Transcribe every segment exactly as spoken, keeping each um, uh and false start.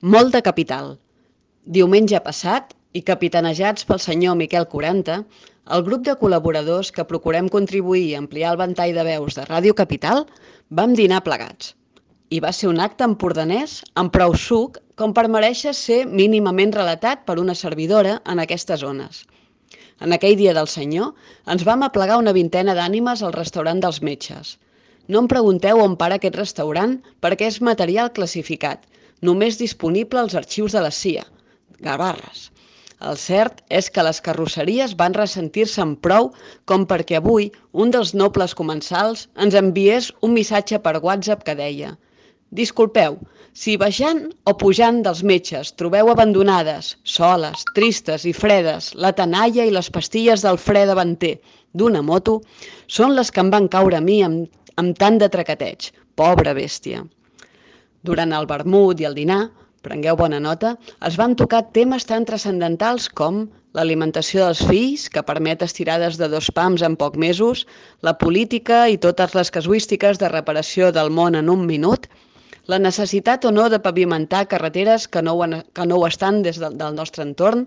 Molt de capital. Diumenge passat, i capitanejats pel senyor Miquel Quaranta, el grup de col·laboradors que procurem contribuir i ampliar el ventall de veus de Ràdio Capital vam dinar plegats. I va ser un acte empordanès amb prou suc com per merèixer ser mínimament relatat per una servidora en aquestes zones. En aquell dia del senyor ens vam aplegar una vintena d'ànimes al restaurant dels Metges. No em pregunteu on para aquest restaurant perquè és material classificat, només disponible als arxius de la C I A. Gavarres. El cert és que les carrosseries van ressentir-se'n prou com perquè avui un dels nobles comensals ens enviés un missatge per WhatsApp que deia: «Disculpeu, si baixant o pujant dels Metges trobeu abandonades, soles, tristes i fredes la tenalla i les pastilles del fre davanter d'una moto, són les que em van caure a mi amb, amb tant de tracateig. Pobra bèstia». Durant el vermut i el dinar, prengueu bona nota, es van tocar temes tan transcendentals com l'alimentació dels fills, que permet estirades de dos pams en pocs mesos, la política i totes les casuístiques de reparació del món en un minut, la necessitat o no de pavimentar carreteres que no ho, que no ho estan des del, del nostre entorn,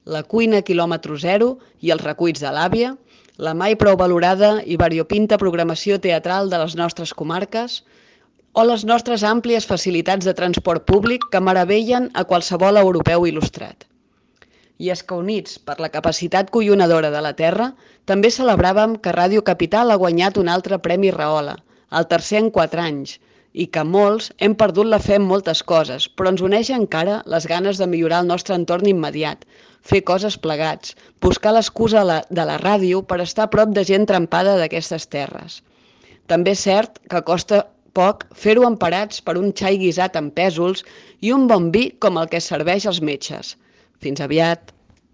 la cuina quilòmetre zero i els recuits de l'àvia, la mai prou valorada i variopinta programació teatral de les nostres comarques, o les nostres àmplies facilitats de transport públic que meravellen a qualsevol europeu il·lustrat. I és que units per la capacitat collonadora de la Terra, també celebràvem que Ràdio Capital ha guanyat un altre Premi Rahola, el tercer en quatre anys, i que molts hem perdut la fe en moltes coses, però ens uneix encara les ganes de millorar el nostre entorn immediat, fer coses plegats, buscar l'excusa de la ràdio per estar a prop de gent trempada d'aquestes terres. També és cert que costa poc fer-ho emparats per un xai guisat amb pèsols i un bon vi com el que serveix als Metges. Fins aviat!